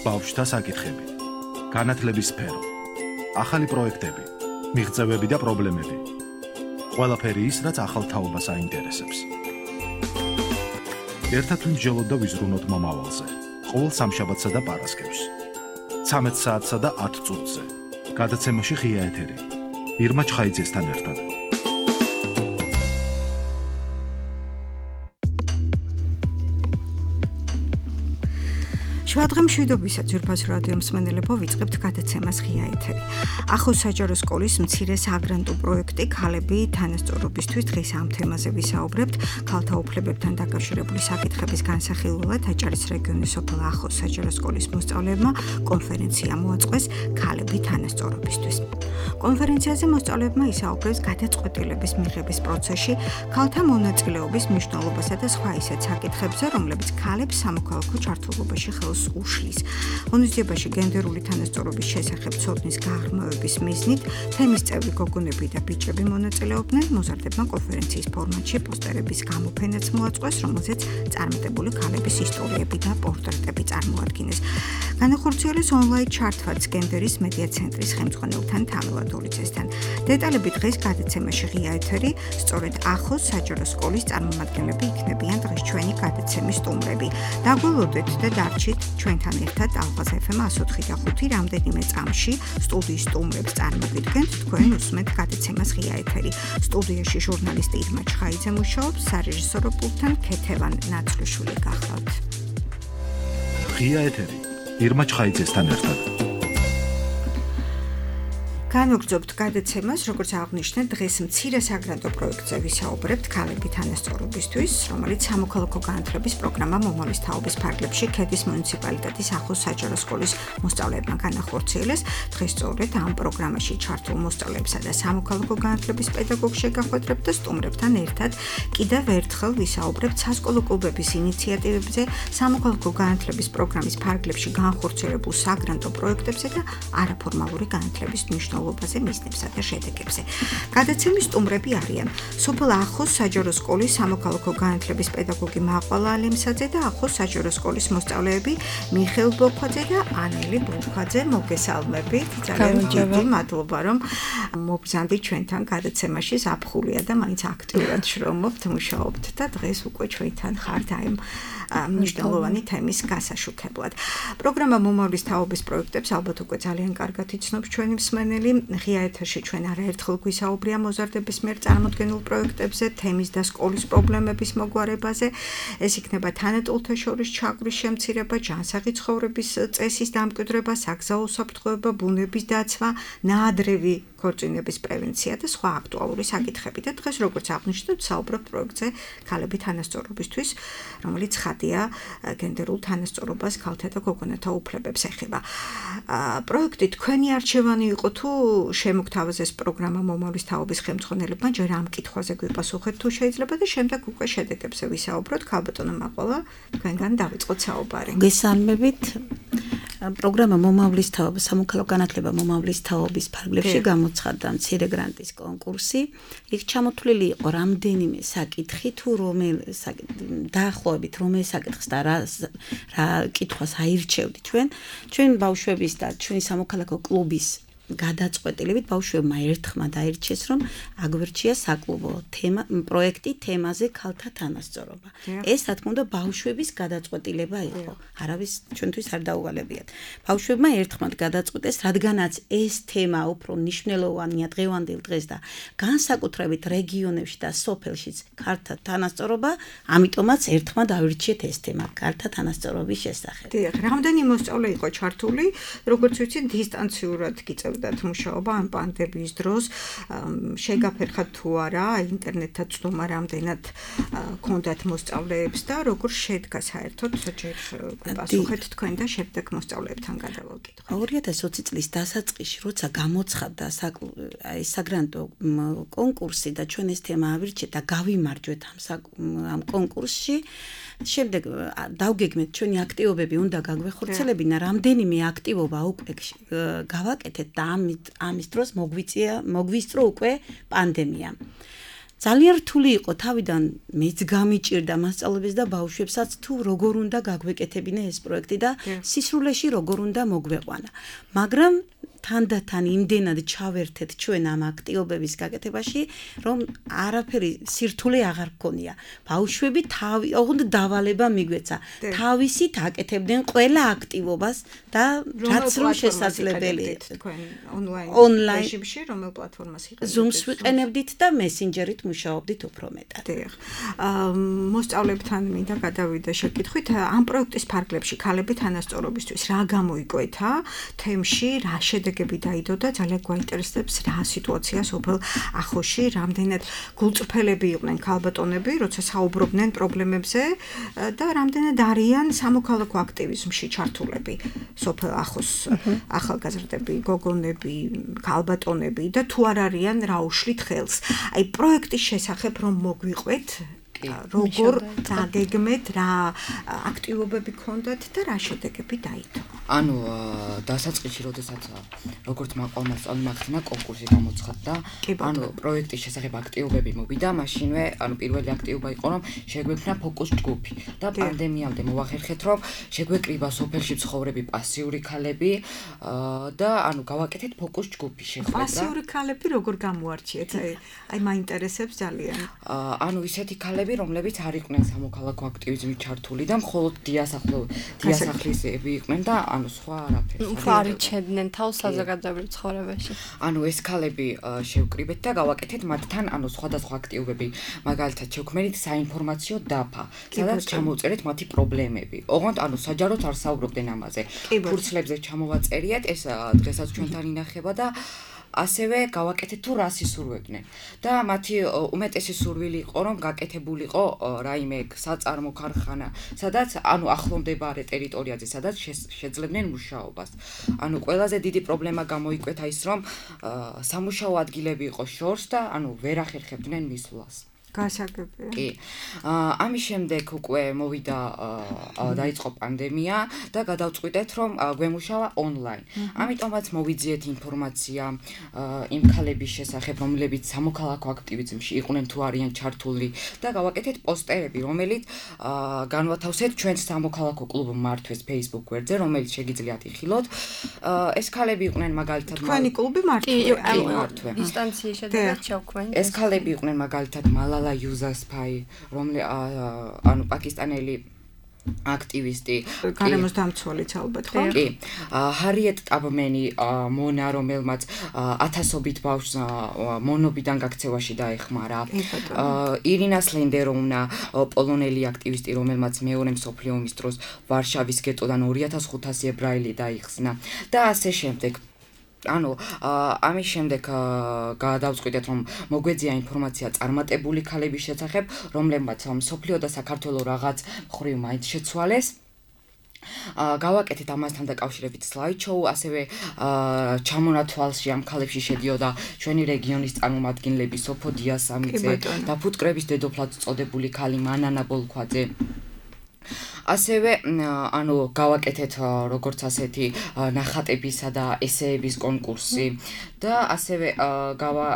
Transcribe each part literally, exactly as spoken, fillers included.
ბავშვთა საკითხები, განათლების სფერო, ახალი პროექტები, მიღწევები და პრობლემები. ყველაფერი ის, რაც ახალ თაობას აინტერესებს. ერთად ვიმსჯელოთ და ვიზრუნოთ მომავალზე. ყოველ სამშაბათსა და პარასკევს. ცამეტ საათსა და ათ წუთზე. გადაცემაში ღია ეთერი. ირმა ჩხაიძესთან ერთად. შუადღე მშვიდობისა ძვირფას რადიო მსმენელებო, ვიწყებთ გადაცემას ღია ეთერი. ახოს საჯარო სკოლის მცირე საგრანტო პროექტი ქალები თანასწორობისთვის დღეს ამ თემაზე ვისაუბრებთ. ქალთა უფლებებთან დაკავშირებული საკითხების განსახილველად აჭარის რეგიონის სოფელ ახოს საჯარო სკოლის მოსწავლეებმა კონფერენცია მოაწყვეს ქალები თანასწორობისთვის. კონფერენციაზე მოსწავლეებმა ისაუბრეს გადაწყვეტილების მიღების პროცესში ქალთა მონაწილეობის მნიშვნელობასა და სხვა ისეთ საკითხებზე, რომლებიც ქალებს სამოქალაქო ჩართულობაში ხელს უშლის. ღონისძიებაში გენდერული თანასწორობის შესახებ ცოდნის გაღრმავების მიზნით თემის წევრი გოგონები და ბიჭები მონაწილეობდნენ. მოზარდებმა კონფერენციის ფორმატში პოსტერების გამოფენაც მოაწყვეს, რომელზეც წარმატებული ქალების ისტორიები და პორტრეტები წარმოადგინეს. განახორციელეს ონლაინ ჩარტვაც გენდერის მედია ცენტრის ხელმძღვანელთან თამილ დოლიძესთან. დეტალები დღეს გადაცემაში ღია ეთერი, სწორედ ახოს საჯარო სკოლის წარმომადგენლები იქნებიან დღეს ჩვენი გადაცემის სტუმრები. დაგველოდეთ და დარჩით ჩვენთან ერთად ალღაზ ეფ ემ εκατო ოთხი და ხუთი რამდენიმე წამში სტუდიის სტუმრებს წარმოგიდგენთ. თქვენ უსმენთ გადაცემას ღია ეთერი. სტუდიაში ჟურნალისტი ირმა ჩხაიძე მუშაობს, სარეჟისორო პულტთან ქეთევან ნაცვლიშვილი გახლავთ. ღია ეთერი ირმა ჩხაიძესთან ერთად. განვგრძობთ გადაცემას, როგორც აღნიშნეთ, დღეს მცირე საგრანტო პროექტზე ვისაუბრებთ ქალები თანასწორობისთვის, რომელიც სამოქალაქო განათლების პროგრამა მომავლის თაობის ფარგლებში ქედის მუნიციპალიტეტის ახოს საჯარო სკოლის მოსწავლეებმა განახორციელეს. დღეს სწორედ ამ პროგრამაში ჩართულ მოსწავლეებსა და სამოქალაქო განათლების პედაგოგს შეგახვედრებთ და სტუმრებთან ერთად კიდევ ერთხელ ვისაუბრებთ სასკოლო კლუბების ინიციატივებზე, სამოქალაქო განათლების პროგრამის ფარგლებში განხორციელებულ საგრანტო პროექტებზე და არაფორმალური განათლების მნიშვნელობაზე. მიზნებსა და შედეგებზე. გადაცემის სტუმრები არიან სოფელ ახოს საჯარო სკოლის სამოქალაქო განათლების პედაგოგი მაყვალა ალემსაძე და ახოს საჯარო სკოლის მოსწავლეები მიხეილ ბოქვაძე და ანელი ბოქვაძე. მოგესალმებით. ძალიან დიდი მადლობა, რომ მობრძანდით ჩვენთან გადაცემაში. ზაფხულია და მაინც აქტიურად შრომობთ, მუშაობთ და დღეს უკვე ჩვენთან ხართ აი მნიშვნელოვანი თემის გასაშუქებლად. პროგრამა მომავლის თაობის პროექტებს ალბათ უკვე ძალიან კარგად იცნობს ჩვენი მსმენელი. ღია ეთერში ჩვენ არაერთხელ გვისაუბრია მოზარდების მიერ წარმოდგენილ პროექტებზე, თემის და სკოლის პრობლემების მოგვარებაზე. ეს იქნება თანატოლთა შორის ჩაგვრის შემცირება, ჯანსაღი ცხოვრების წესის დამკვიდრება, საგზაო უსაფრთხოება, ბუნების დაცვა, ნაადრევი ქორწინების პრევენცია და სხვა აქტუალური საკითხები. და დღეს როგორც აღნიშნეთ, საუბრობთ პროექტზე ქალები თანასწორობისთვის, რომელიც ხადია გენდერულ თანასწორობას, ქალთა და გოგონათა უფლებებს ეხება. პროექტი თქვენი არჩევანი იყო თუ შემოგთავაზეს პროგრამა მომავლის თაობის ხელმძღვანელებმა, ჯერ ამ კითხვაზე გვიპასუხეთ თუ შეიძლება და შემდეგ უკვე შედეგებზე ვისაუბროთ. ქალბატონო მაყვალა, თქვენგან დავიწყოთ საუბარი. გესალმებით. პროგრამა მომავლის თაობა, სამოქალაქო განათლება მომავლის თაობის ფარგლებში გამოცხადდა მცირე გრანტის კონკურსი. იქ ჩამოთვლილი იყო რამდენიმე საკითხი, თუ რომელ დაახლოებით რომელ საკითხს და რა რა კითხვას აირჩევდით ჩვენ. ჩვენ ბავშვების და ჩვენი სამოქალაქო კლუბის გადაწყვეტილებით ბავშვებმა ერთხმა დაირჩიეს, რომ აგვერჩია საკლუბო თემა პროექტი თემაზე ქალთა თანასწორობა. ეს რა თქმა უნდა ბავშვების გადაწყვეტილება იყო. არავის ჩვენთვის არ დაუვალებიათ. ბავშვებმა ერთხმად გადაწყვეტეს, რადგანაც ეს თემა უფრო მნიშვნელოვანია დღევანდელ დღეს და განსაკუთრებით რეგიონებში და სოფელშიც ქალთა თანასწორობა, ამიტომაც ერთხმად ავირჩიეთ ეს თემა ქალთა თანასწორობის შესახებ. დიახ, რამდენი მოსწავლე იყო ჩართული, როგორც ვიცით, დისტანციურად გიწევ მუშაობა ამ პანდემიის დროს შეგაფერხათ თუ არა ინტერნეტთან ცდომა რამდენად ქონდათ მოსწავლეებს და როგორ შედგა საერთოდ ჯერ გასუხეთ თქვენ და შემდეგ მოსწავლეებთან გადავაკითხოთ. ორი ათას ოცი წლის დასაწყისში როცა გამოცხადდა აი საგრანტო კონკურსი და ჩვენ ეს თემა ავირჩიეთ და გავიმარჯვეთ ამ ამ კონკურსში, შემდეგ დავგეგმეთ ჩვენი აქტივობები უნდა გაგვეხორციელებინა, რამდენიმე აქტივობა უკვე გავაკეთეთ და ამის დროს მოგვიწია მოგვისწრო უკვე პანდემია. ძალიან რთული იყო თავიდან მეც გამიჭირდა მასწავლებელს და ბავშვებსაც თუ როგორ უნდა გაგვეკეთებინა ეს პროექტი და სისრულეში როგორ უნდა მოგვეყვანა. მაგრამ თანდათან იმდენად ჩავერთეთ ჩვენ ამ აქტივობების გაკეთებაში, რომ არაფერი სირთულე აღარ გქონია. ბავშვები თავი, ოღონდ დავალება მიგვეცა. თავისით აკეთებდნენ ყველა აქტივობას და რაც რომ შესაძლებელი თქვენ ონლაინ რეჟიმში რომელ პლატფორმას იყენებთ? Zoom-ს ვიყენებდით და Messenger-ით მუშაობდით უფრო მეტად. დიახ. აა მოსწავლეებთან მინდა გადავიდე შეკითხვით, ამ პროექტის ფარგლებში ქალები თანასწორობისთვის რა გამოიკვეთა თემში, რა შედეგები დაიდო და ძალიან გვაინტერესებს რა სიტუაცია სოფელ ახოში, რამდენად გულწრფელები იყვნენ ქალბატონები, როცა საუბრობდნენ პრობლემებზე და რამდენად არიან სამოქალაქო აქტივიზმში ჩართულები სოფელ ახოს ახალგაზრდები, გოგონები, ქალბატონები და თუ არ არიან რა უშლით ხელს. აი პროექტის შესახებ რომ მოგვიყვეთ როგორ დაგეგმეთ, რა აქტივობები გქონდათ და რა შედეგები დაიდო. ანუ დასაწყისში როდესაც როგორც მაყვალ-მასწავლი მახსნა კონკურსი გამოცხადდა, ანუ პროექტის შესახებ აქტივობები მოვიდა, მაშინვე ანუ პირველი აქტივობა იყო რომ შეგვექმნა ფოკუს ჯგუფი და პანდემიამდე მოვახერხეთ რომ შეგვეკრიბა სოფელში ცხოვრები პასიური ქალები და ანუ გავაკეთეთ ფოკუს ჯგუფი შეხვედრა. პასიური ქალები როგორ გამოარჩიეთ? აი აი მაინტერესებს ძალიან. ანუ ისეთი ქალები რომლებიც არ იყვნენ სამოქალაქო აქტივიზმში ჩართული და მხოლოდ დიასახლო დიასახლისები იყვნენ და ანუ სხვა არაფერს. უფრო არიჩენდნენ თავს საზოგადოებრივ ცხოვრებაში. ანუ ეს ქალები შევკრიბეთ და გავაკეთეთ მათთან ანუ სხვადასხვა აქტივობები. მაგალითად შევქმნით საინფორმაციო დაფა, სადაც ჩამოვწერეთ მათი პრობლემები. ოღონდ ანუ საჯაროდ არ საუბრობდნენ ამაზე. ფურცლებზე ჩამოვაწერიეთ, ეს დღესაც ჩვენთან ინახება და ასევე გავაკეთეთ თუ რას ისურვებდნენ და მათი უმეტესი სურვილი იყო რომ გაკეთებულიყო რაიმე საწარმო ქარხანა, სადაც ანუ ახლომდებარე ტერიტორიაზე, სადაც შეძლებდნენ მუშაობას. ანუ ყველაზე დიდი პრობლემა გამოიკვეთა ის რომ სამუშაო ადგილები იყო შორს და ანუ ვერ ახერხებდნენ მისვლას. გასაგებია. კი. ამის შემდეგ უკვე მოვიდა დაიწყო პანდემია და გადავწყვიტეთ რომ გვემუშავა ონლაინ. ამიტომაც მოვიძიეთ ინფორმაცია იმ ქალების შესახებ, რომლებიც სამოქალაქო აქტივიზმში იყვნენ თუ არიან ჩართული და გავაკეთეთ პოსტერები, რომელიც განვათავსეთ ჩვენს სამოქალაქო კლუბ მართვეს Facebook გვერდზე, რომელიც შეგიძლიათ იხილოთ. ეს ქალები იყვნენ მაგალითად თქვენი კლუბი მართვე. ინსტანციის შედეგად ჩავქვენ. ეს ქალები იყვნენ მაგალითად მალალა Yousafzai, რომლე ანუ პაკისტანელი აქტივისტი, გარემოს დამცველიც ალბათ, ხო? კი. ჰარიეტ ტაბმენი მონა, რომელმაც ათასობით ბავშვს მონობიდან გაქცევაში დაეხმარა. ირინა სლენდეროვნა, პოლონელი აქტივისტი, რომელმაც მეორე მსოფლიო ომის დროს ვარშავის გეტოდან ორი ათას ხუთასი ებრაელი დაიხსნა და ასე შემდეგ. ანუ ამის შემდეგ გადავწყვიტეთ რომ მოგვეძია ინფორმაცია წარმატებული ქალების შესახებ, რომლებმაც მსოფლიო და საქართველოს რაღაც მხრივ მაინც შეცვალეს. გავაკეთეთ ამასთან დაკავშირებით slide-show, ასევე ჩამონათვალში ამ ქალებში შედიოდა ჩვენი რეგიონის წარმომადგენლები სოფო დიასამიძე და ფუტკრების დედოფლად წოდებული ქალი მანანა ბოლქვაძე. ასევე ანუ გავაკეთეთ როგორც ასეთი ნახატებისა და ესეების კონკურსი და ასევე გავა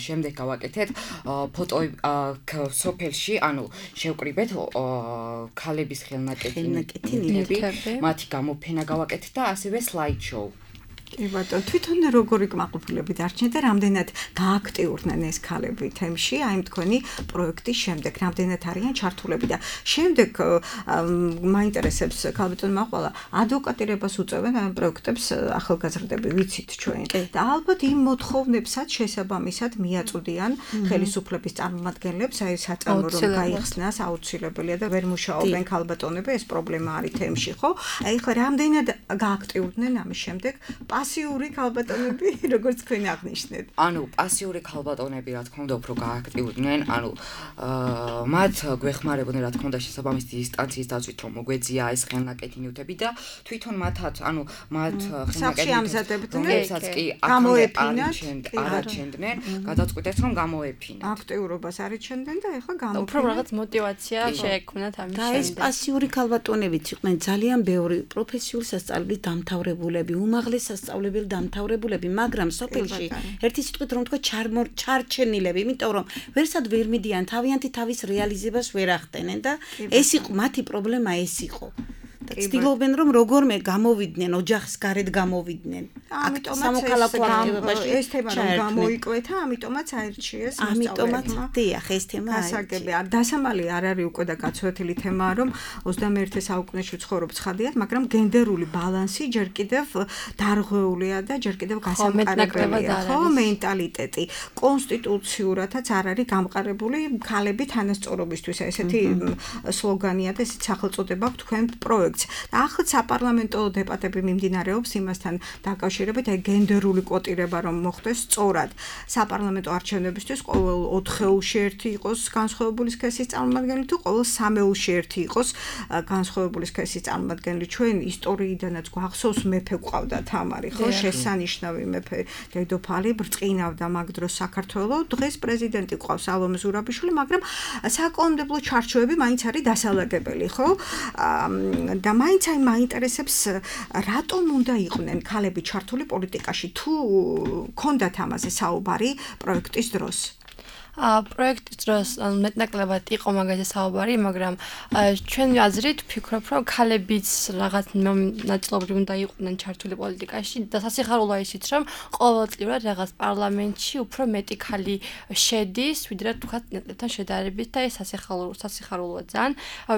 შემდეგ გავაკეთეთ ფოტო სოფელში, ანუ შევკრიბეთ ქალების ხელნაკეთილები, მათი გამოფენა გავაკეთეთ და ასევე slide show. კი ბატონო, თვითონ როგორი კმაყოფილები დარჩნენ და რამდენად გააქტიურდნენ ეს ქალები თემში, აი თქვენი პროექტის შემდეგ, რამდენად არიან ჩართულები და შემდეგ მაინტერესებს ქალბატონ მაყვალა, ადვოკატირებას უწევენ ამ პროექტებს ახალგაზრდები, ვიცით ჩვენ. და ალბათ იმ მოთხოვნებსაც შესაბამისად მიაწვდიან ხელისუფლების წარმომადგენლებს, აი საწარმო რომ გაიხსნას აუცილებელია და ვერ მუშაობენ ქალბატონები, ეს პრობლემა არის თემში, ხო? აი ხა რამდენად გააქტიურდნენ ამის შემდეგ პასიური ქალბატონები, როგორც თქვენ აღნიშნეთ. ანუ პასიური ქალბატონები, რა თქმა უნდა, უფრო გააქტიურდნენ, ანუ მათ გვეხმარებოდნენ, რა თქმა უნდა, შესაბამისი ინსტანციის დაცვით, რომ მოგვეძია ეს ხელნაკეთილები და თვითონ მათაც, ანუ მათ ხელნაკეთილებს, რომელსაც კი გამოეფინათ, არაჩენდნენ, გადაწყვიტეს, რომ გამოეფინათ. აქტიურობას არიჩენდნენ და ეხლა გამოეფინათ. უფრო რაღაც мотиваცია შეექმნათ ამის შემდეგ. და ეს პასიური ქალბატონებიც იყვნენ ძალიან ბევრი პროფესიული სასწავლებლით დამთავრებულები, უმაღლეს სასწავლებლით მასწავლებელი დამთავრებულები, მაგრამ სოფელში ერთი სიტყვით რომ თქვა ჩარჩენილები, იმიტომ რომ ვერსად ვერ მიდიან თავიანთი თავის რეალიზებას ვერ ახდენენ და ეს იყო მათი პრობლემა ეს იყო. ცდილობენ რომ როგორმე გამოვიდნენ ოჯახის გარეთ გამოვიდნენ. ამიტომაც სამოქალაქო აქტივობაში ეს თემა რომ გამოიკვეთა, ამიტომაც აირჩიეს ამიტომაც დიახ ეს თემა ასაგები არ დასამალი არ არის უკვე და გაცვეთილი თემაა რომ ოცდამეერთე საუკუნეში ვცხოვრობ ცხადიად, მაგრამ გენდერული ბალანსი ჯერ კიდევ დარღვეულია და ჯერ კიდევ გასამყარებელია, ხო, მენტალიტეტი. კონსტიტუციურადაც არ არის გამყარებული ქალები თანასწორობისთვის. ესეთი სლოგანია და ესეთ სახელწოდება აქვს თქვენ პროექტს. ახლა საპარლამენტო დებატები მიმდინარეობს იმასთან დაკავშირებით, აი გენდერული კვოტირება რომ მოხდეს სწორად. საპარლამენტო არჩევნებისთვის ყოველ ოთხეულში ერთი იყოს განსხვავებული სქესის წარმომადგენელი თუ ყოველ სამეულში ერთი იყოს განსხვავებული სქესის წარმომადგენელი. ჩვენ ისტორიიდანაც გვახსოვს მეფე გვყავდა თამარი, ხო, შესანიშნავი მეფე დედოფალი ბრწყინავდა მაგ დროს საქართველოს. დღეს პრეზიდენტი გვყავს ალომე ზურაბიშვილი, მაგრამ საკანონმდებლო ჩარჩოები მაინც არის დასალაგებელი, ხო? და მაინც აი მაინტერესებს რატომ უნდა იყვნენ ქალები ჩართული პოლიტიკაში თუ ქონდათ ამაზე საუბარი პროექტის დროს ა პროექტის დროს მეტნაკლებად იყო მაგაზე საუბარი, მაგრამ ჩვენ აზრით ვფიქრობ, რომ ქალებიც რაღაც ნაწილობრივ უნდა იყვნენ ჩართული პოლიტიკაში და სასიხარულოა ისიც, რომ ყოველწლიურად რაღაც პარლამენტში უფრო მეტი ქალი შედის, ვიდრე თქვათ ნაკლებთან შედარებით და ეს სასიხარულო სასიხარულოა ძალიან.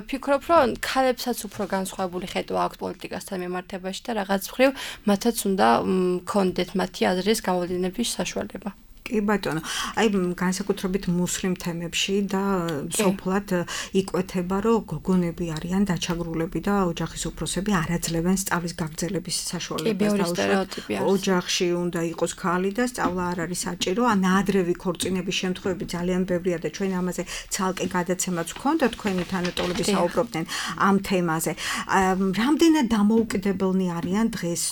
ვფიქრობ, რომ ქალებსაც უფრო განსხვავებული ხედვა აქვს პოლიტიკასთან მიმართებაში და რაღაც მხრივ მათაც უნდა ქონდეთ მათი აზრის გამოვლენების საშუალება. კი ბატონო, აი განსაკუთრებით მუსლიმ თემებში და სოფლად იკვეთება, რომ გოგონები არიან დაჩაგრულები და ოჯახის უფროსები არ აძლევენ სწავლის გაგრძელების საშუალებას. ოჯახში უნდა იყოს ქალი და სწავლა არ არის საჭირო, ან ადრევი ქორწინების შემთხვევები ძალიან ბევრია და ჩვენ ამაზე ცალკე გადაცემაც ვქონდა თქვენი თანატოლები საუბრობდნენ ამ თემაზე. რამდენად დამოუკიდებელნი არიან დღეს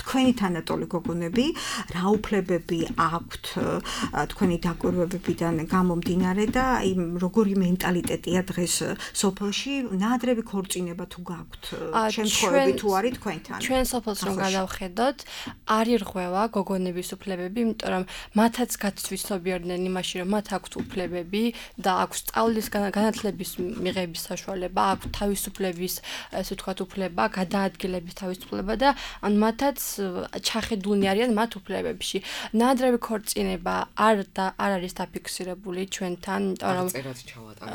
თქვენი თანატოლი გოგონები, რა უფლებები აქვთ თქვენი დაკვირვებებიდან გამომდინარე და აი როგორი მენტალიტეტია დღეს სოფელში, ნაადრევი ქორწინება თუ გაქვთ, შემთხვევები თუ არის თქვენთან. ჩვენ სოფელს რომ გადავხედოთ, არ ირღვევა გოგონების უფლებები, იმიტომ რომ მათაც გაცვისობიერდნენ იმაში, რომ მათ აქვთ უფლებები და აქვს სწავლის განათლების მიღების საშუალება, აქვს თავისუფლების, ესე ვთქვათ, უფლება, გადაადგილების თავისუფლება და ან მათაც ჩახედულნი არიან მათ უფლებებში. ნაადრევი ქორწინება არ და არ არის დაფიქსირებული ჩვენთან, იმიტომ რომ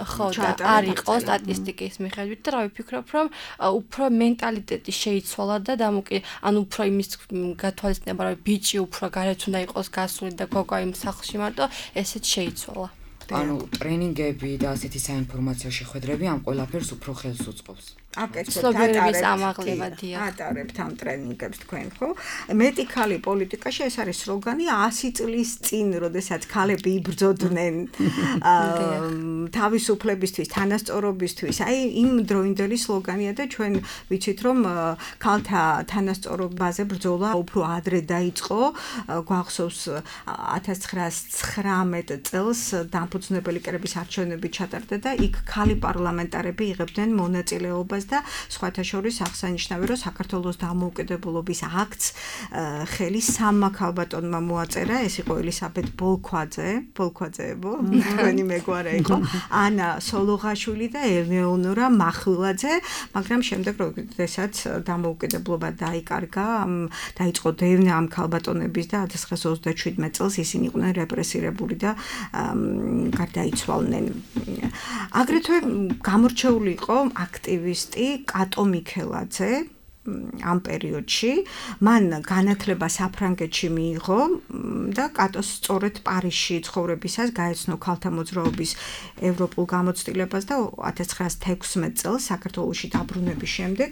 ხო და არ იყო სტატისტიკის მიხედვით და რა ვიფიქრობ, რომ უფრო მენტალიტეტი შეიცვალა და დამოკი, ანუ უფრო იმის გათვალისწინება, რომ ბიჭი უფრო გარეთ უნდა იყოს გასული და გოგო იმ სახლში მარტო, ესეც შეიცვალა. ანუ ტრენინგები და ასეთი საინფორმაციო შეხვედრები ამ ყველაფერს უფრო ხელს უწყობს. აბსოლუტურების ამაღლება დიახ. ატარებთ ამ ტრენინგებს თქვენ, ხო? მეტი ქალი პოლიტიკაში ეს არის სლოგანი ასი წლის წინ, როდესაც ქალები იბრძოდნენ თავისუფლებისთვის, თანასწორობისთვის. აი იმ დროინდელი სლოგანია და ჩვენ ვიცით, რომ ქალთა თანასწორობაზე ბრძოლა უფრო ადრე დაიწყო. გვახსოვს ათას ცხრაასი ცხრამეტ წელს დამფუძნებელი კრების არჩევნები ჩატარდა და იქ ქალი პარლამენტარები იღებდნენ მონაწილეობას და სხვათა შორის აღსანიშნავი რომ საქართველოს დამოუკიდებლობის აქტს ხელი სამმა ქალბატონმა მოაწერა, ეს იყო ელისაბედ ბოლქვაძე, ბოლქვაძეებო, თქვენი მეგვარე იყო, ანა სოლოღაშვილი და ელეონორა მახვილაძე, მაგრამ შემდეგ როდესაც დამოუკიდებლობა დაიკარგა, დაიწყო დევნა ამ ქალბატონების და ათას ცხრაასი ოცდაშვიდმეტ წელს ისინი იყვნენ რეპრესირებული და გარდაიცვალნენ. აგრეთვე გამორჩეული იყო აქტივისტი კატო მიქელაძე ამ პერიოდში, მან განათლება საფრანგეთში მიიღო და კატოს სწორედ პარიზში ცხოვრებისას გაეცნო ქალთა მოძრაობის ევროპულ გამოცდილებას და ათას ცხრაასი თექვსმეტ წელს საქართველოში დაბრუნების შემდეგ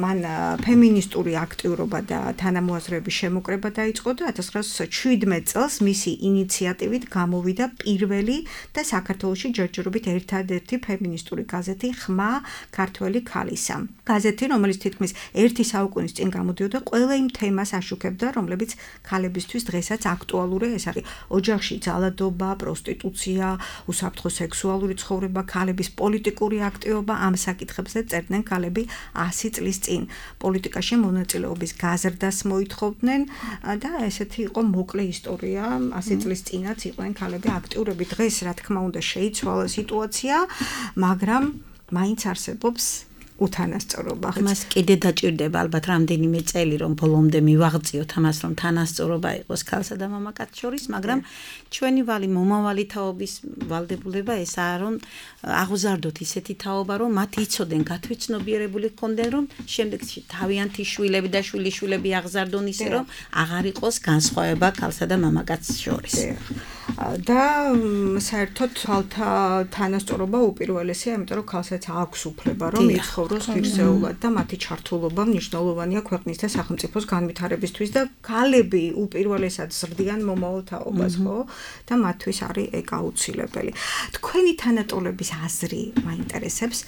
მან ფემინისტური აქტიურობა და თანამოაზრეების შემოკრება დაიწყო და ათას ცხრაასი შვიდმეტ წელს მისი ინიციატივით გამოვიდა პირველი და საქართველოში ჯერჯერობით ერთადერთი ფემინისტური გაზეთი ხმა ქართველი ქალისა. გაზეთი, რომელიც თითქმის ერთი საუკუნის წინ გამოდიოდა, ყველა იმ თემას აშუქებდა, რომლებიც ქალებისთვის დღესაც აქტუალურია. ეს არის ოჯახში ძალადობა, პროსტიტუცია, უსაფრთხო სექსუალური ცხოვრება, ქალების პოლიტიკური აქტივობა. ამ საკითხებზე წერდნენ ქალები ასი წლის წინ. პოლიტიკაში მონაწილეობის გაზრდას მოითხოვდნენ და ესეთი იყო მოკლე ისტორია. ასი წლის წინაც იყვნენ ქალები აქტიურები. დღეს რა თქმა უნდა შეიცვალა სიტუაცია, მაგრამ მაინც არსებობს უთანასწორობა. მას კიდე დაჭირდება ალბათ რამდენიმე წელი, რომ ბოლომდე მივაღწიოთ ამას, რომ თანასწორობა იყოს ქალსა და მამაკაცს შორის, მაგრამ ჩვენი ვალი მომავალი თაობის ვალდებულება ესაა, რომ აღზარდოთ ისეთი თაობა, რომ მათ იცოდნენ, გათვითცნობიერებული ჰქონდნენ, რომ შემდეგში თავიანთი შვილები და შვილიშვილები აღზარდონ ისე, რომ აღარ იყოს განსხვავება ქალსა და მამაკაცს შორის. და საერთოდ თვალთა თანასწორობა უპირველესია, იმიტომ რომ ქალსაც აქვს უფლება, რომ იცხოვროს ფიქსეულად და მათი ჩართულობა მნიშვნელოვანია ქვეყნის და სახელმწიფოს განვითარებისთვის და ქალები უპირველესად ზრდიან მომავალ თაობას, ხო? და მათთვის არის ეგ აუცილებელი. თქვენი თანატოლების აზრი მაინტერესებს,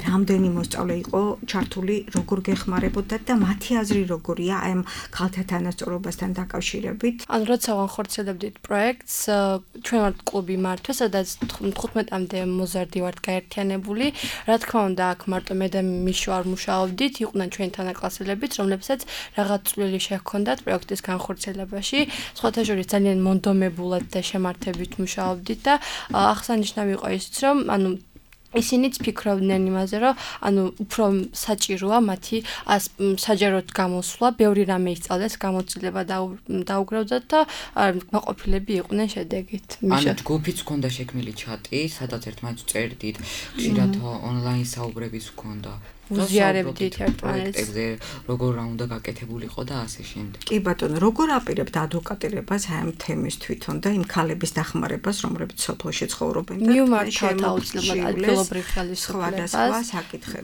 რამდენი მოსწავლე იყო ჩართული, როგორ გეხმარებოდათ და მათი აზრი როგორია აი ამ ქალთა თანასწორობასთან დაკავშირებით? ან როცა ვახორციელებდით პროექტს, ჩვენ ვართ კლუბი მართვა, სადაც თხუთმეტამდე მოზარდი ვართ გაერთიანებული. რა თქმა უნდა, აქ მარტო მე და მიშო არ მუშაობდით, იყვნენ ჩვენი თანაკლასელებიც, რომლებსაც რაღაც წვლილი შეჰქონდათ პროექტის განხორციელებაში. სხვათა შორის ძალიან მონდომებულად და შემართებით მუშაობდით და აღსანიშნავი იყო ისიც, რომ ანუ ისინიც ფიქრობდნენ იმაზე, რომ ანუ უფრო საჭიროა მათი საჯაროდ გამოსვლა, ბევრი რამე ისწავლეს, გამოცდილება დაუგროვდათ და მაყოფილები იყვნენ შედეგით. ანუ ჯგუფიც ჰქონდა შექმნილი ჩატი, სადაც ერთმანეთს წერდით, ხშირად ონლაინ საუბრებიც ჰქონდა. უზიარებდით ერთმანეთს, როგორ რა უნდა გაკეთებულიყო და ასე შემდეგ. კი ბატონო, როგორ აპირებთ ადვოკატირებას აი ამ თემის თვითონ და იმ ქალების დახმარებას, რომლებიც სოფელში ცხოვრობენ და მივმართავთ აუცილებლად ადგილობრივ ხელისუფლებას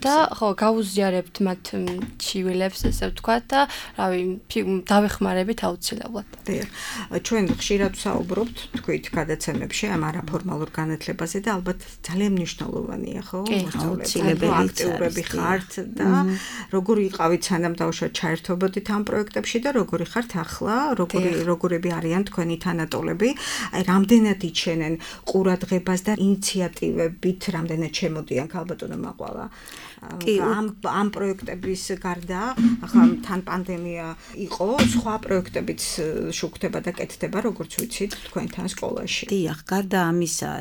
და ხო, გავუზიარებთ მათ ჩივილებს, ესე ვთქვათ და რავი, დავეხმარებით აუცილებლად. დიახ, ჩვენ ხშირად ვსაუბრობთ თქვით გადაცემებში ამ არაფორმალურ განათლებაზე და ალბათ ძალიან მნიშვნელოვანია, ხო? აუცილებელი აქტიურები ხარ და როგორ იყავით სანამ დავუშვათ ჩაერთობოდით ამ პროექტებში და როგორი ხართ ახლა, როგორი როგორები არიან თქვენი თანატოლები, აი რამდენად იჩენენ ყურადღებას და ინიციატივებით, რამდენად შემოდიან ქალბატონო მაყვალა ამ ამ პროექტების გარდა, ახლა თან პანდემია იყო, სხვა პროექტებიც შუქდება და კეთდება, როგორც ვიცით, თქვენთან სკოლაში. დიახ, გარდა ამისა,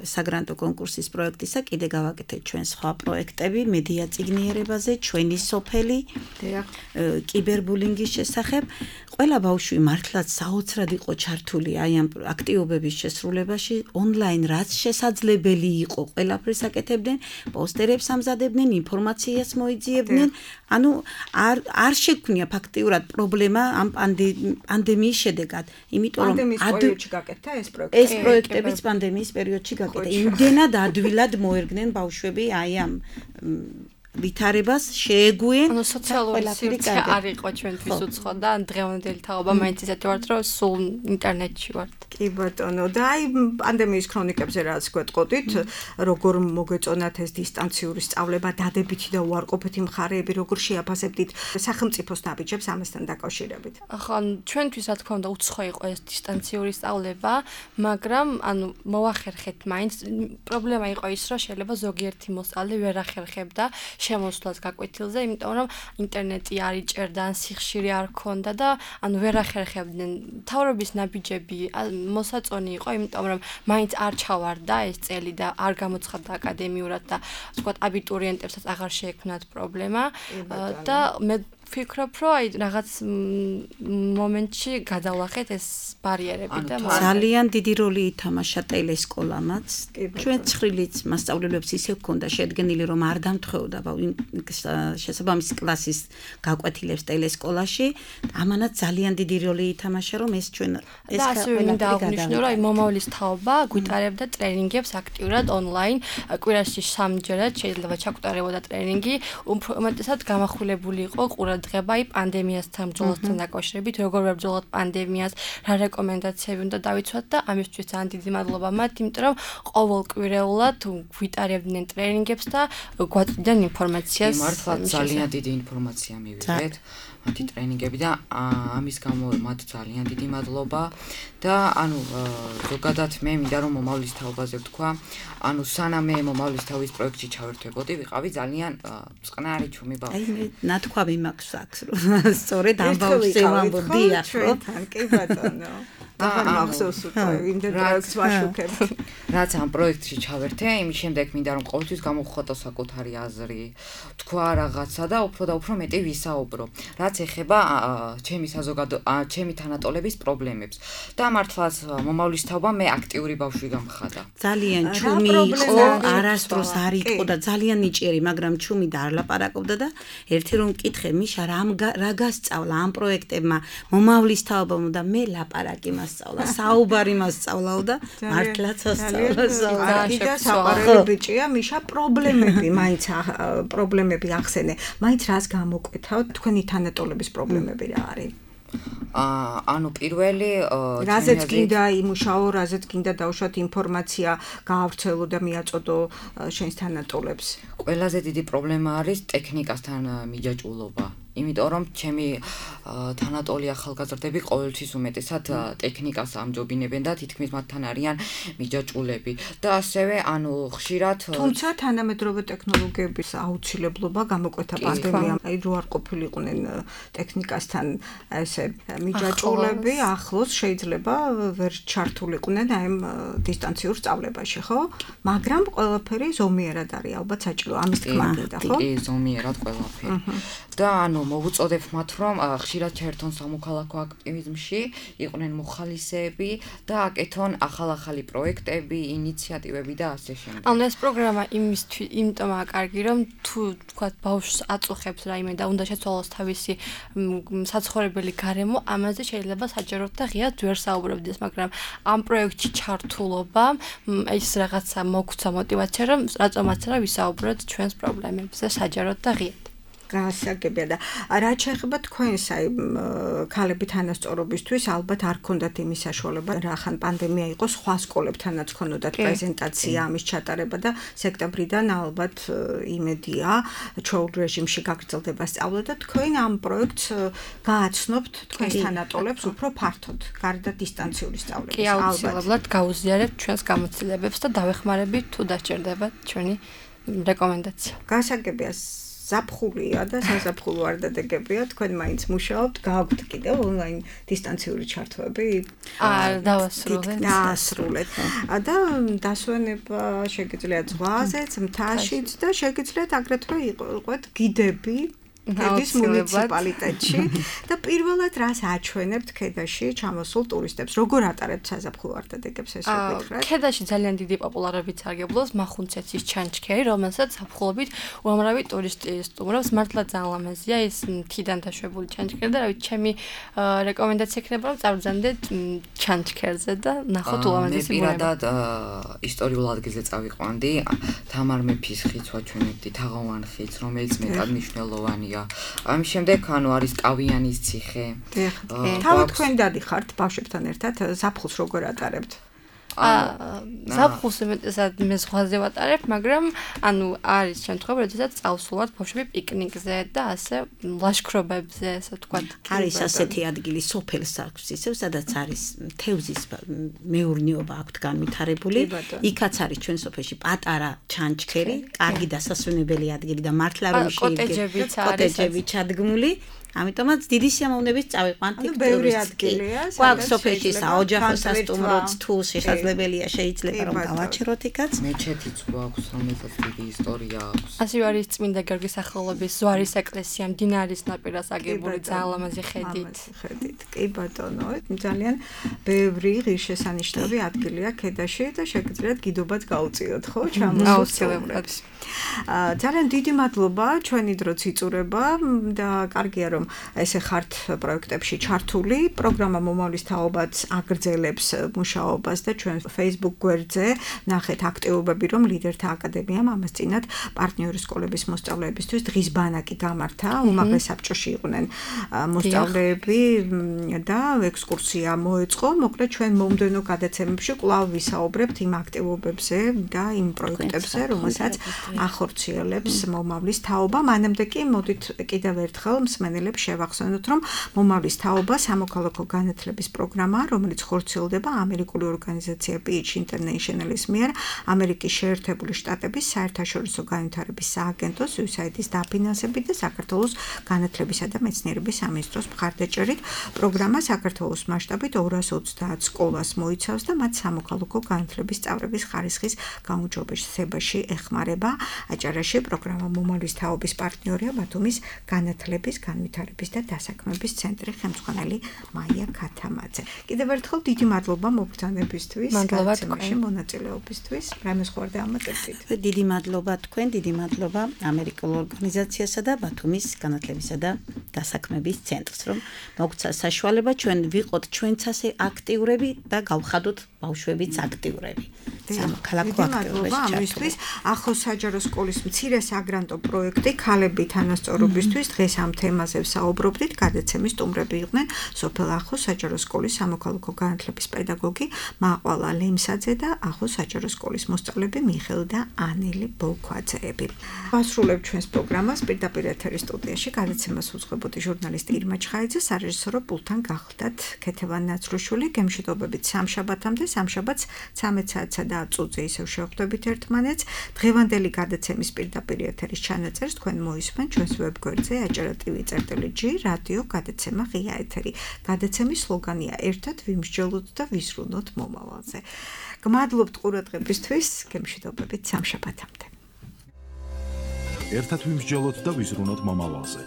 საგრანტო კონკურსის პროექტისა, კიდე გავაკეთეთ ჩვენ სხვა პროექტები მედია წიგნიერებაზე, ჩვენი სოფელი, დიახ, კიბერბულინგის შესახებ. ყველა ბავშვი მართლაც საოცრად იყო ჩართული აი ამ აქტივობების შესრულებაში, ონლაინ რაც შესაძლებელი იყო, ყველაფერს აკეთებდნენ, პოსტერებს ამზადებდნენ, ინფორმაციას მოიძიებდნენ. ანუ არ არ შექმნია ფაქტიურად პრობლემა ამ პანდემიის შედეგად, იმიტომ რომ პანდემიის პერიოდში გაკეთდა ეს პროექტი. ეს პროექტებიც პანდემიის პერიოდში გაკეთდა. იმდენად ადვილად მოერგნენ ბავშვები აი ამ ვითარებას შეეგუენ. ანუ სოციალური სივრცე არ იყო ჩვენთვის უცხო და დღევანდელი თაობა მაინც ისეთი ვართ, რომ სულ ინტერნეტში ვართ. კი ბატონო, და აი პანდემიის ქრონიკებზე რაც გვეტყოდით, როგორ მოგეწონათ ეს დისტანციური სწავლება, დადებითი და უარყოფითი მხარეები, როგორ შეაფასებდით სახელმწიფოს ნაბიჯებს ამასთან დაკავშირებით? ახლა ჩვენთვის რა თქმა უნდა უცხო იყო ეს დისტანციური სწავლება, მაგრამ ანუ მოახერხეთ მაინც. პრობლემა იყო ის, რომ შეიძლება ზოგიერთი მოსწავლე ვერ ახერხებდა შემოსვლას გაკვეთილზე, იმიტომ რომ ინტერნეტი არ იჭერდა, ან სიხშირე არ ჰქონდა და ანუ ვერ ახერხებდნენ. მთავრობის ნაბიჯები მოსაწონი იყო, იმიტომ რომ მაინც არ ჩავარდა ეს წელი და არ გამოცხადდა აკადემიურად და ვთქვათ აბიტურიენტებსაც აღარ შეექმნათ პრობლემა და მე ვფიქრობ, რომ აი რაღაც მომენტში გადავლახეთ ეს ბარიერები და ძალიან დიდი როლი ითამაშა ტელესკოლამაც. ჩვენ ცხრილიც მასწავლებლებს ისე ჰქონდა შედგენილი, რომ არ დამთხეოდა შესაბამისი კლასის გაკვეთილებს ტელესკოლაში. ამანაც ძალიან დიდი როლი ითამაშა, რომ ეს ჩვენ ეს და ასევე მინდა აღნიშნო, რომ აი მომავლის თაობა გვიტარებდა ტრენინგებს აქტიურად ონლაინ, კვირაში სამჯერად შეიძლება ჩაგვტარებოდა ტრენინგი, უმეტესად გამახვილებული იყო ყურადღება ყურადღება პანდემიასთან ბრძოლასთან დაკავშირებით, როგორ ვებრძოლოთ პანდემიას, რა რეკომენდაციები უნდა დავიცვათ და ამისთვის ძალიან დიდი მადლობა მათ, იმიტომ რომ ყოველკვირეულად გვიტარებდნენ ტრენინგებს და გვაწვდიან ინფორმაციას. მართლა ძალიან დიდი ინფორმაცია მივიღეთ. მათი ტრენინგები და ამის გამო მათ ძალიან დიდი მადლობა და ანუ ზოგადად მე მინდა რომ მომავლის თაობაზე ვთქვა, ანუ სანამ მე მომავლის თაობის პროექტში ჩავერთვებოდი, ვიყავი ძალიან წყნარი ჩუმი ბავშვი. აი მე ნათქვამი მაქვს აქ რომ სწორედ ამ ბავშვზე ვამბობდი ახლა. კი ბატონო. აღარ მახსოვს უკვე იმდენ პროექტს ვაშუქებთ. რაც ამ პროექტში ჩავერთე, იმის შემდეგ მინდა რომ ყოველთვის გამოვხატო საკუთარი აზრი, თქვა რაღაცა და უფრო და უფრო მეტი ვისაუბრო. რაც ეხება ჩემი საზოგადო ჩემი თანატოლების პრობლემებს. და მართლაც მომავლის თაობა მე აქტიური ბავშვი გამხადა. ძალიან ჩუმი იყო, არასდროს არ იყო და ძალიან ნიჭიერი, მაგრამ ჩუმი და არ ლაპარაკობდა და ერთი რომ მკითხე, მიშა რა გასწავლა ამ პროექტებმა, მომავლის თაობამ და მე ლაპარაკი მასწავლა, საუბარი მასწავლაო და მართლაც ასწავლა საუბარი. და საყვარელი ბიჭია, მიშა პრობლემები, მაინც პრობლემები ახსენე. მაინც რას გამოკვეთავთ თქვენი თანატოლების პრობლემები რა არის? აა ანუ პირველი რაზეც გინდა იმუშაო, რაზეც გინდა დავუშვათ ინფორმაცია, გაავრცელო და მიაწოდო შენს თანატოლებს. ყველაზე დიდი პრობლემა არის ტექნიკასთან მიჯაჭვულობა. იმიტომ რომ ჩემი თანატოლი ახალგაზრდები ყოველთვის უმეტესად ტექნიკას ამჯობინებენ და თითქმის მათთან არიან მიჯაჭვულები და ასევე ანუ ხშირად თუმცა თანამედროვე ტექნოლოგიების აუცილებლობა გამოკვეთა პანდემიამ, აი რო არ ყოფილიყვნენ ტექნიკასთან ესე მიჯაჭვულები, ახლოს შეიძლება ვერ ჩართულიყვნენ აი ამ დისტანციურ სწავლებაში, ხო? მაგრამ ყველაფერი ზომიერად არის ალბათ საჭირო, ამის თქმა გინდა, ხო? კი, ზომიერად ყველაფერი. და ანუ მოვუწოდებ მათ რომ ხშირად ჩაერთონ სამოქალაქო აქტივიზმში, იყვნენ მოხალისეები და აკეთონ ახალ-ახალი პროექტები, ინიციატივები და ასე შემდეგ. ანუ ეს პროგრამა იმისთვის, იმიტომაა კარგი, რომ თუ თქვა ბავშვს აწუხებს რაიმე და უნდა შეცვალოს თავისი საცხოვრებელი გარემო, ამაზე შეიძლება საჯაროდ და ღიად ვერ საუბრობდეს, მაგრამ ამ პროექტში ჩართულობა ის რაღაცა მოგცვა мотиваცია, რომ რატომაც რა ვისაუბროთ ჩვენს პრობლემებზე საჯაროდ და ღიად. გასაგებია და რაც შეეხება თქვენს აი ქალები თანასწორობისთვის ალბათ არ ქონდათ იმის საშუალება რა ხან პანდემია იყო სხვა სკოლებთანაც ქონოდათ პრეზენტაცია ამის ჩატარება და სექტემბრიდან ალბათ იმედია ჩვეულ რეჟიმში გაგრძელდება სწავლა და თქვენ ამ პროექტს გააცნობთ თქვენს თანატოლებს უფრო ფართოდ გარდა დისტანციური სწავლების კი აუცილებლად გაუზიარებთ ჩვენს გამოცდილებებს და დავეხმარებით თუ დაჭირდებათ ჩვენი რეკომენდაცია. გასაგებია ზაფხულია და საზაფხულო არ დადეგებია, თქვენ მაინც მუშაობთ, გააქვთ კიდევ ონლაინ დისტანციური ჩართვები? არ დავასრულეთ. დაასრულეთ. და დასვენება შეგიძლიათ ზღვაზეც, მთაშიც და შეგიძლიათ აგრეთვე იყოთ გიდები ქედის მუნიციპალიტეტში და პირველად რას აჩვენებთ ქედაში ჩამოსულ ტურისტებს? როგორ ატარებთ საზაფხულო არდადეგებს ეს ვეკითხეთ? ქედაში ძალიან დიდი პოპულარობით სარგებლობს მახუნცეთის ჩანჩქერი, რომელსაც ზაფხულობით უამრავი ტურისტი სტუმრობს. მართლა ძალიან ლამაზია ეს მთიდან დაშვებული ჩანჩქერი და რავი, ჩემი რეკომენდაცია იქნება რომ წავბრძანდეთ ჩანჩქერზე და ნახოთ ულამაზესი ბუნება. მე პირადად ისტორიულ ადგილზე წავიყვანდი, თამარ მეფის ხიდს ვაჩვენებდი, თაღოვან ხიდს, რომელიც მეტად მნიშვნელოვანია. ამის შემდეგ ანუ არის კავიანის ციხე. თავად თქვენ დადიხართ ბავშვებთან ერთად ზაფხულს როგორ ატარებთ? ზაფხულს უმეტესად მე ზღვაზე ვატარებ, მაგრამ ანუ არის შემთხვევა, როდესაც წავსულვართ ბავშვები პიკნიკზე და ასე ლაშქრობებზე, ასე ვთქვათ. არის ასეთი ადგილი სოფელს აქვს ისევ, სადაც არის თევზის მეურნეობა აქვთ განვითარებული. იქაც არის ჩვენ სოფელში პატარა ჩანჩქერი, კარგი დასასვენებელი ადგილი და მართლა რომ კოტეჯებიც არის. კოტეჯები ჩადგმული. ამიტომაც დიდი სიამოვნებით წავიყვანთ იქ ბევრი ადგილია, სადაც სოფელში საოჯახო სასტუმროც თუ შესაძლებელია შეიძლება რომ დავაჩეროთ იქაც. მეჩეთიც გვაქვს, რომელსაც დიდი ისტორია აქვს. ასევე არის წმინდა გიორგის სახელობის ზვარის ეკლესია, მდინარის ნაპირას აგებული ძალიან ლამაზი ხედით. ხედით. კი ბატონო, ძალიან ბევრი ღირსშესანიშნავი ადგილია ქედაში და შეგიძლიათ გიდობაც გაუწიოთ, ხო? აუცილებლად. ძალიან დიდი მადლობა, ჩვენი დროც იწურება და კარგია რომ რომ ესე ხართ პროექტებში ჩართული. პროგრამა მომავლის თაობაც აგრძელებს მუშაობას და ჩვენ Facebook გვერდზე ნახეთ აქტივობები, რომ ლიდერთა აკადემიამ ამას წინათ პარტნიორი სკოლების მოსწავლეებისთვის დღის ბანაკი გამართა. უმაღლეს საბჭოში იყვნენ მოსწავლეები და ექსკურსია მოეწყო. მოკლედ ჩვენ მომდევნო გადაცემებში კვლავ ვისაუბრებთ იმ აქტივობებზე და იმ პროექტებზე, რომელსაც ახორციელებს მომავლის თაობა. მანამდე კი მოდით კიდევ ერთხელ მსმენელებს შევახსენოთ, რომ მომავლის თაობა სამოქალაქო განათლების პროგრამაა, რომელიც ხორციელდება ამერიკული ორგანიზაცია Peach International-ის მიერ ამერიკის შეერთებული შტატების საერთაშორისო განვითარების სააგენტოს იუ ეს έი აი დი-ის დაფინანსებით და საქართველოს განათლებისა და მეცნიერების სამინისტროს მხარდაჭერით. პროგრამა საქართველოს მასშტაბით ორას ოცდაათ სკოლას მოიცავს და მათ სამოქალაქო განათლების სწავლების ხარისხის გაუმჯობესებაში ეხმარება. აჭარაში პროგრამა მომავლის თაობის პარტნიორია ბათუმის განათლების, განვითარების და დასაქმების ცენტრი ხელმძღვანელი მაია ქათამაძე. კიდევ ერთხელ დიდი მადლობა მოგბრძანებისთვის, გადაცემაში მონაწილეობისთვის. რამე სხვა დამატებთ? დიდი მადლობა თქვენ, დიდი მადლობა ამერიკულ ორგანიზაციასა და ბათუმის განათლებისა და დასაქმების ცენტრს, რომ მოგცა საშუალება ჩვენ ვიყოთ ჩვენც ასე აქტიურები და გავხადოთ ბავშვებიც აქტიურები. სამოქალაქო აქტიურობა ამისთვის ახლოს საჯარო სკოლის მცირე საგრანტო პროექტი ქალები თანასწორობისთვის დღეს ამ თემაზე ვსაუბრობდით. გადაცემის სტუმრები იყვნენ სოფელ ახლოს საჯარო სკოლის სამოქალაქო განათლების პედაგოგი მაყვალა ლემსაძე და ახლოს საჯარო სკოლის მოსწავლეები მიხელ და ანელი ბოლქვაძეები. ვასრულებთ ჩვენს პროგრამას პირდაპირ ეთერის სტუდიაში. გადაცემას უძღვებოდი ჟურნალისტი ირმა ჩხაიძე, სარეჟისორო პულტთან გახლდათ ქეთევან ნაცრუშვილი. გემშვიდობებით სამშაბათამდე, სამშაბათს ცამეტ საათსა და ათ წუთზე ისევ შევხვდებით ერთმანეთს. დღევანდელი გადაცემის პირდაპირ ეთერის ჩანაწერს თქვენ მოისმენთ ჩვენს ვებგვერდზე აჭარა ტივი წერტილი ჯი რადიო გადაცემა ღია ეთერი. გადაცემის სლოგანია ერთად ვიმსჯელოთ და ვისრულოთ მომავალზე. გმადლობთ ყურადღებისთვის, გემშვიდობებით სამშაბათამდე. ერთად ვიმსჯელოთ და ვიზრუნოთ მომავალზე.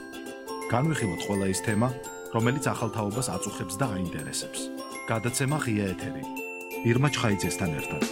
განვიხილოთ ყველა ის თემა, რომელიც ახალ თაობას აწუხებს და აინტერესებს. გადაცემა ღია ეთერი. ირმა ჩხაიძესთან ერთად.